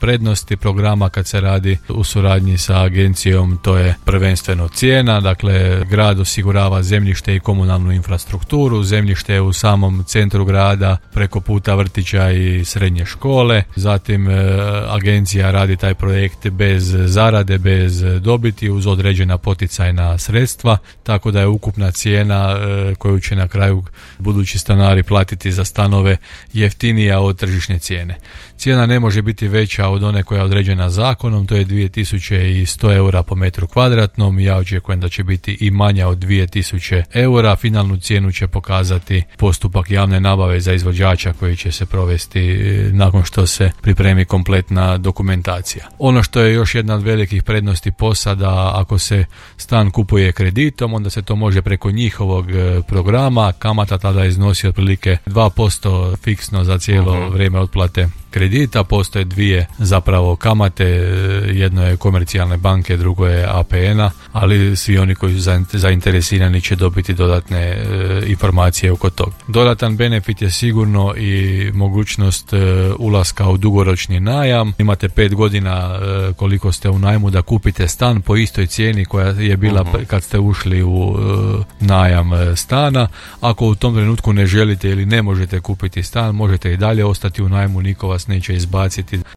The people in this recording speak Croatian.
prednosti programa kad se radi u suradnji sa agencijom, to je prvenstveno cijena. Dakle, grad osigurava zemljište i komunalnu infrastrukturu, zemljište je u samom centru grada preko puta vrtića i srednje škole. Zatim agencija radi taj projekt bez zarade, bez dobiti, uz određena poticajna sredstva, tako da je ukupna cijena koju će na kraju budući stanari platiti za stanove jeftinija od tržišne cijene. Cijena ne može biti veća od one koja je određena zakonom, to je 2100 eura po metru kvadratnom. Ja očekujem da će biti i manja od 2000 eura. Finalnu cijenu će pokazati postupak javne nabave za izvođača koji će se provesti nakon što se pripremi kompletna dokumentacija. Ono što je još jedna od velikih prednosti POS-a, da ako se stan kupuje kreditom, onda se to može preko njihovog programa. Kamata tada iznosi otprilike 2% fiksno za cijelo vrijeme otplate kredita. Postoje dvije zapravo kamate, jedno je komercijalne banke, drugo je APN-a, ali svi oni koji su zainteresirani će dobiti dodatne informacije oko toga. Dodatan benefit je sigurno i mogućnost ulaska u dugoročni najam. Imate 5 godina koliko ste u najmu da kupite stan po istoj cijeni koja je bila kad ste ušli u najam stana. Ako u tom trenutku ne želite ili ne možete kupiti stan, možete i dalje ostati u najmu, niko vas neće izbaciti.